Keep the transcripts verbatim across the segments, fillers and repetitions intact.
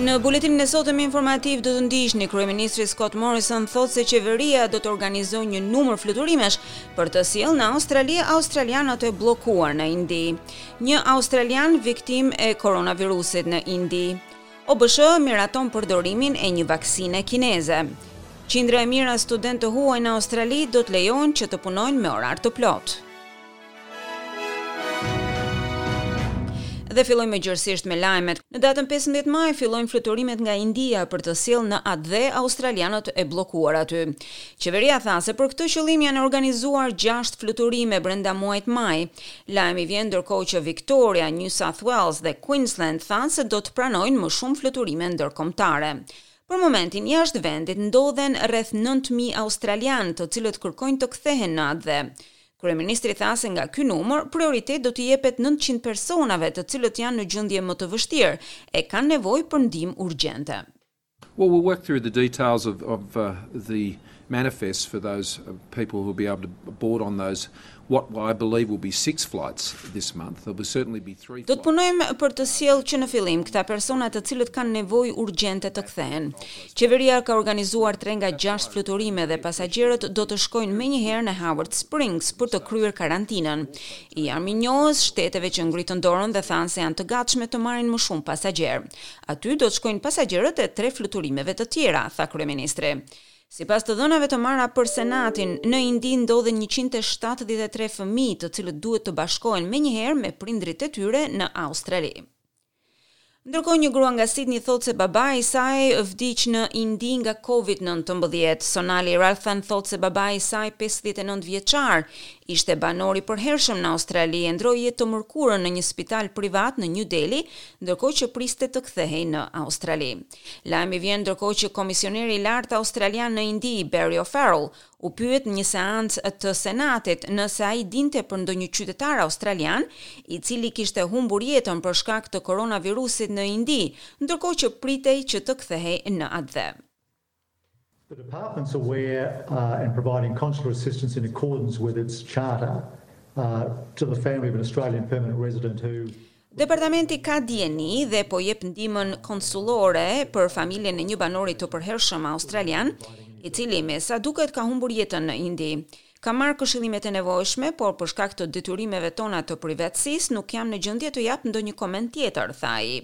Në buletinin e sotëm informativ do të ndiqni: Kryeministri Scott Morrison thotë se qeveria do të organizojë një numër fluturimesh për të sjellë në Australi australianët e bllokuar në Indi. Një australian viktim e koronavirusit në Indi. O B S H miraton përdorimin e një vaksine kineze. Qindra e mijëra studentë të huaj në Australi do të lejohen që të punojnë me orar të plotë. Dhe fillojmë më gjërësisht me lajmet. Në datën pesëmbëdhjetë maj fillojnë fluturimet nga India për të sjellë në atdhe australianët e bllokuar aty. Qeveria tha se për këtë qëllim janë organizuar gjashtë fluturime brenda muajit maj. Lajmi vjen ndërkohë që Victoria, New South Wales dhe Queensland thanë se do të pranojnë më shumë fluturime ndërkombëtare. Për momentin, jashtë vendit ndodhen rreth nëntë mijë australianë, të cilët kërkojnë të kthehen në atdhe. Kryeministri tha se nga ky numër, prioritet do t'i jepet nëntëqind personave, të cilët janë në gjendje më të vështirë e kanë nevojë për ndihmë urgjente. Well, we'll work through the details of, of uh, the manifests for those uh, people who will be able to board on those, what I believe will be six flights this month. There will certainly be three. Do të punojmë për të sjellë që në fillim këta persona, të cilët kanë nevojë urgjente të kthehen. Qeveria ka organizuar tre nga gjashtë fluturime dhe pasagjerët do të shkojnë menjëherë në Howard Springs për të kryer karantinën. I jam mirënjohës shteteve që ngritën dorën dhe thanë se janë të gatshme të marrin më shumë pasagjerë. Aty do të shkojnë pasagjerët e tre fluturimeve të tjera, tha kryeministri. Sipas të dhënave të marra për Senatin, në Indi ndodhen njëqind e shtatëdhjetë e tre fëmijë, të cilët duhet të bashkohen menjëherë me prindrit e tyre në Australi. Ndërkohë, një grua nga Sydney thotë se babai i saj vdiq në Indi nga Covid nëntëmbëdhjetë. Sonali Ralthan thotë se babai i saj pesëdhjetë e nëntë vjeçar ishte banor i përhershëm në Australi e ndroi jetë të mërkurën në një spital privat në New Delhi, ndërkohë që priste të kthehej në Australi. Lajmi vjen ndërkohë që komisioneri i lartë australian në Indi, Barry O'Farrell, u pyet në një seancë të Senatit nëse ai dinte për ndonjë qytetar australian i cili kishte humbur jetën për shkak të koronavirusit në Indi, ndërkohë që pritej që të kthehej në atdhe. The department's aware uh, and providing consular assistance in accordance with its charter uh, to the family of an Australian permanent resident who Departamenti ka dijeni dhe po jep ndihmën konsullore për familjen e një banori të përhershëm australian, i cili me sa duket ka humbur jetën në Indi. Ka marrë këshillimet e nevojshme, por për shkak të detyrimeve tona të privatësisë nuk jam në gjendje të jap ndonjë koment tjetër, tha ai.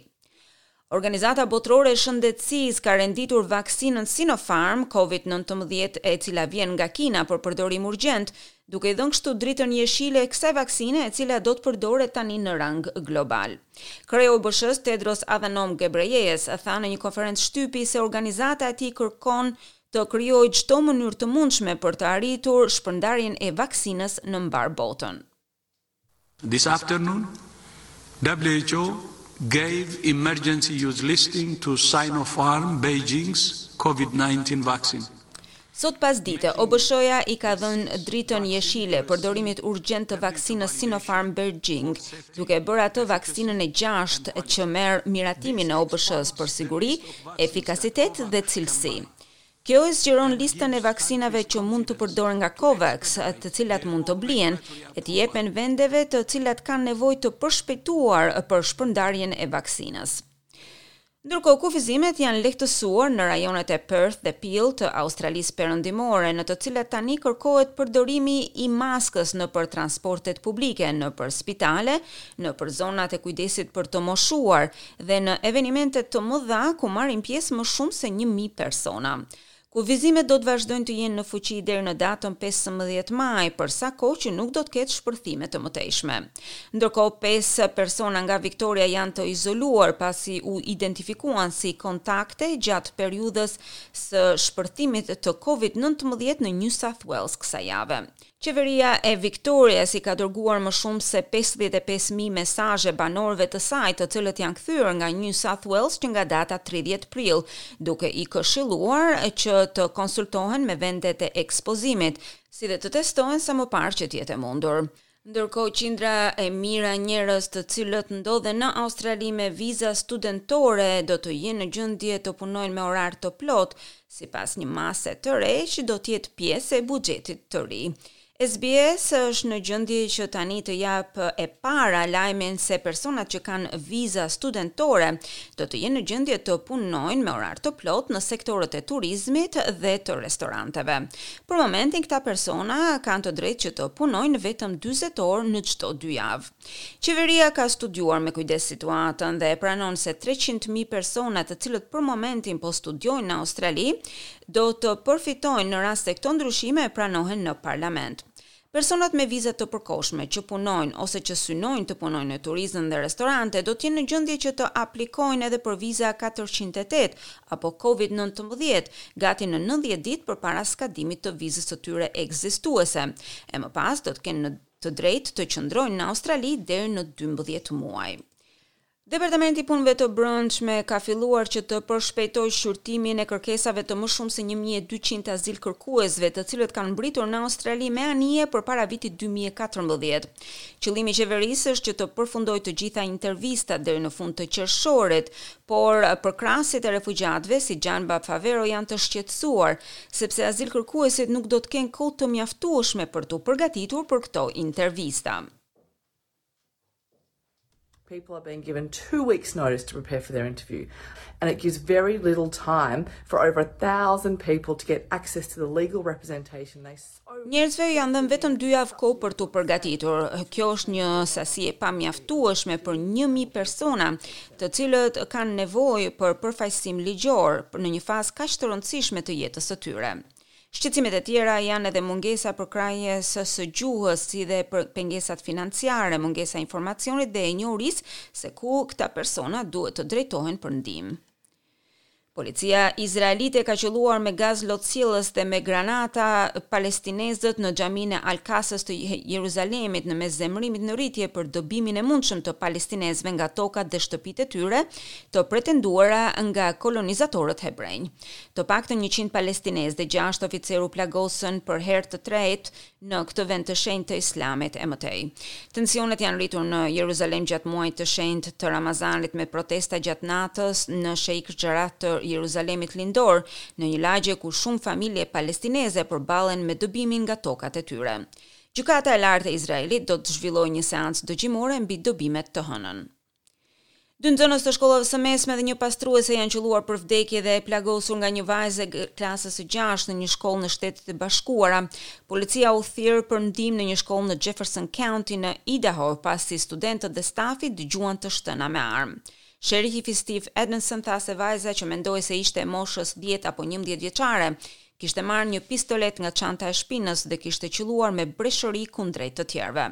Organizata Botërore e Shëndetësisë ka renditur vaksinën Sinopharm Covid nëntëmbëdhjetë, e cila vjen nga Kina, për përdorim urgjent, duke i dhënë kështu dritën jeshile kësaj vaksine, e cila do të përdoret tani në rang global. Kreu i O B S H-s Tedros Adhanom Ghebreyesus tha në një konferencë shtypi se organizata e tij kërkon të krijojë çdo mënyrë të mundshme për të arritur shpërndarjen e vaksinës në mbar botën. This afternoon, W H O gave emergency use listing to Sinopharm Beijing's COVID nineteen vaccine. Sot pas dite, O B S H-ja i ka dhënë dritën jeshile përdorimit urgjent të vaksinës Sinopharm Beijing, duke bërë atë vaksinën e gjashtë që merr miratimin e O B S H-s për siguri, efikasitet dhe cilësi. Kjo e zgjeron listën e vaksinave që mund të përdoren nga COVAX, të cilat mund të blien e të jepen vendeve të cilat kanë nevojë të përshpejtuar për shpërndarjen e vaksinës. Ndërkohë, kufizimet janë lehtësuar në rajonet e Perth dhe Peel të Australisë Perëndimore, në të cilat tani kërkohet përdorimi i maskës në për transportet publike, në për spitale, në për zonat e kujdesit për të moshuar dhe në evenimente të mëdha ku marrin pjesë më shumë se një mijë persona. Kufizimet do të vazhdojnë të jenë në fuqi deri në datën pesëmbëdhjetë maj, për sa kohë që nuk do të ketë shpërthime të mëtejshme. Ndërkohë, pesë persona nga Victoria janë të izoluar pasi u identifikuan si kontakte gjatë periudhës së shpërthimit të Covid nëntëmbëdhjetë në New South Wales kësaj jave. Qeveria e Victorias i ka dërguar më shumë se pesëdhjetë e pesë mijë mesazhe banorëve të saj, të cilët janë kthyer nga New South Wales që nga data tridhjetë prill, duke i këshilluar që të konsultohen me vendet e ekspozimit, si dhe të testohen sa më parë që të jetë e mundur. Ndërkohë, qindra e mijëra njerëz, të cilët ndodhen në Australi me viza studentore, do të jenë në gjendje të punojnë me orar të plot, sipas një mase të re që do të jetë pjesë e buxhetit të ri. S B S është në gjendje që tani të japë e para lajmin se personat që kanë viza studentore do të jenë në gjendje të punojnë me orar të plot në sektorët e turizmit dhe të restoranteve. Për momentin, këta persona kanë të drejtë që të punojnë vetëm dyzet orë në çdo dy javë. Qeveria ka studiuar me kujdes situatën dhe e pranon se treqind mijë persona, të cilët për momentin po studiojnë në Australi, do të përfitojnë në rast se këto ndryshime pranohen në parlament. Personat me viza të përkohshme që punojnë ose që synojnë të punojnë në turizëm dhe restorante do të jenë në gjendje që të aplikojnë edhe për viza katërqind e tetë apo Covid nëntëmbëdhjetë gati në nëntëdhjetë ditë përpara skadimit të vizës së tyre ekzistuese, e më pas do të kenë në të drejtë të qëndrojnë në Australi deri në dymbëdhjetë muaj. Departamenti i Punëve të Brendshme ka filluar që të përshpejtojë shqyrtimin e kërkesave të më shumë se një mijë e dyqind azil kërkuesve, të cilët kanë mbritur në Australi me anije përpara vitit dy mijë e katërmbëdhjetë. Qëllimi i qeverisë është që të përfundojë të gjitha intervistat deri në fund të qershorit, por përkrahësit e refugjatëve si Gianba Favero janë të shqetësuar sepse azil kërkuesit nuk do të kenë kohë të mjaftueshme për t'u përgatitur për këto intervista. People are being given two weeks' notice to prepare for their interview, and it gives very little time for over a thousand people to get access to the legal representation they so Njerëzve janë dhënë vetëm dy javë kohë për t'u përgatitur. Kjo është një sasi e pamjaftueshme për një mijë persona, të cilët kanë nevojë për përfaqësim ligjor në një fazë kaq të rëndësishme të jetës së tyre. Shqetësimet e tjera janë edhe mungesa përkrahjes së gjuhës, si dhe për pengesat financiare, mungesa e informacionit dhe e njohurisë se ku këta persona duhet të drejtohen për ndihmë. Policia izraelite ka qelluar me gaz lotsjellës dhe me granata palestinezët në xhaminë e Al-Aqsës të Jeruzalemit, në mes zemërimit në rritje për dëbimin e mundshëm të palestinezëve nga tokat dhe shtëpitë e tyre të pretenduara nga kolonizatorët hebrenj. Të paktën njëqind palestinezë dhe gjashtë oficerë u plagosën për herë të tretë në këtë vend të shenjtë të Islamit e më tej. Tensionet janë rritur në Jeruzalem gjatë muajit të shenjtë të Ramazanit, me protesta gjatë natës në Sheikh Jarrah të Jeruzalemit lindor, në një lagje ku shumë familje palestineze përballen me dëbimin nga tokat e tyre. Gjykata e Lartë e Izraelit do të zhvillojë një seancë dëgjimore mbi dëbimet të hënën. Dy nxënës të shkollave së mesme dhe një pastruese janë qelluar për vdekje dhe e plagosur nga një vajzë e klasës së gjashtë në një shkollë në Shtetet e Bashkuara. Policia u thirr për ndihmë në një shkollë në Jefferson County në Idaho, pasi studentët dhe stafi dëgjuan të shtëna me armë. Sherifi Steve Edmondson tha se vajza, që mendoi se ishte e moshës dhjetë apo njëmbëdhjetë vjeçare, kishte marrë një pistolet nga çanta e shpinës dhe kishte qelluar me breshëri kundrejt të tjerëve.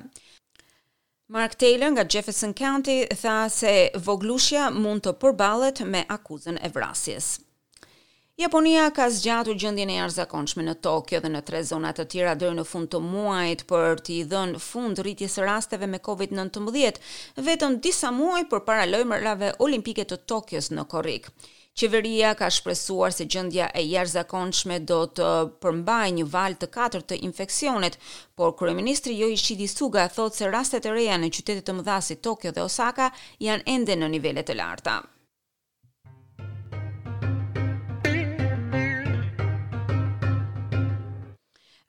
Mark Taylor nga Jefferson County tha se voglushja mund të përballet me akuzën e vrasjes. Japonia ka zgjatur gjendjen e jashtëzakonshme në Tokyo dhe në tre zona të tjera deri në fund të muajit për t'i dhënë fund rritjes së rasteve me Covid nëntëmbëdhjetë, vetëm disa muaj përpara lojërave olimpike të Tokyos në korrik. Qeveria ka shpresuar se gjendja e jashtëzakonshme do të përmbajë një valë të katërt të infeksionit, por kryeministri Yoshihide Suga thotë se rastet e reja në qytete të mëdha si Tokyo dhe Osaka janë ende në nivele të larta.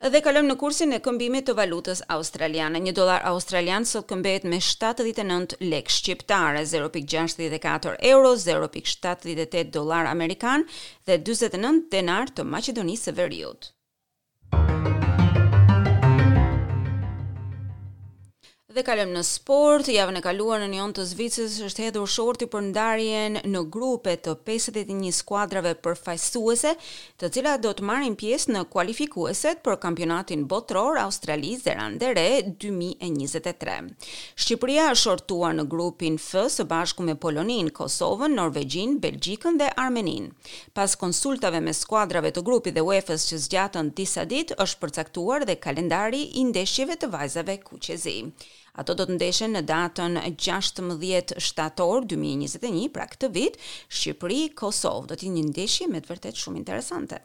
Dhe kalojmë në kursin e këmbimit të valutës australiane. Një dollar australian sot këmbehet me shtatëdhjetë e nëntë lekë shqiptare, zero pikë gjashtëdhjetë e katër euro, zero pikë shtatëdhjetë e tetë dollar amerikan dhe dyzet e nëntë denar të Maqedonisë së Veriut. Dhe kalojmë në sport. Javën e kaluar në Nyon të Zvicrës është hedhur shorti për ndarjen në grupe të pesëdhjetë e një skuadrave përfaqësuese, të cilat do të marrin pjesë në kualifikueset për kampionatin botëror Australi Zelandë e Re dy mijë e njëzet e tre. Shqipëria është shortuar në grupin F së bashku me Poloninë, Kosovën, Norvegjinë, Belgjikën dhe Armeninë. Pas konsultave me skuadrave të grupit dhe UEFA-s që zgjatën disa ditë, është përcaktuar dhe kalendari i ndeshjeve të vajzave kuqezi. Ato do të ndeshen në datën gjashtëmbëdhjetë shtator dy mijë e njëzet e një, pra këtë vit, Shqipëri, Kosovë. Do të jetë një ndeshje me të vërtetë shumë interesante.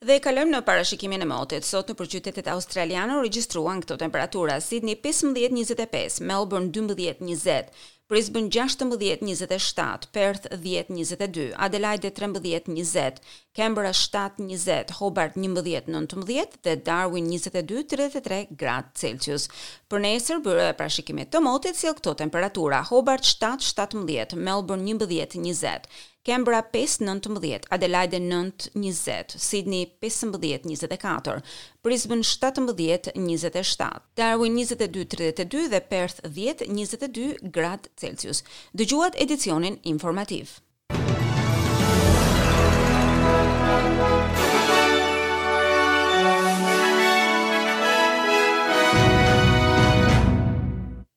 Dhe kalojmë në parashikimin e motit. Sot në qytetet australiane u regjistruan këto temperatura: Sydney pesëmbëdhjetë njëzet e pesë, Melbourne dymbëdhjetë njëzet, Brisbane gjashtëmbëdhjetë njëzet e shtatë, Perth dhjetë njëzet e dy, Adelaide trembëdhjetë njëzet, Canberra shtatë njëzet, Hobart njëmbëdhjetë nëntëmbëdhjetë dhe Darwin njëzet e dy tridhjetë e tre gradë Celsius. Për nesër, byroja e parashikimit të motit sjell këto temperatura: Hobart shtatë shtatëmbëdhjetë, Melbourne njëmbëdhjetë njëzet, Canberra pesë nëntëmbëdhjetë, Adelaide nëntë njëzet, Sydney pesëmbëdhjetë njëzet e katër, Brisbane shtatëmbëdhjetë njëzet e shtatë, Darwin njëzet e dy tridhjetë e dy dhe Perth dhjetë njëzet e dy gradë Celsius. Dëgjuat edicionin informativ.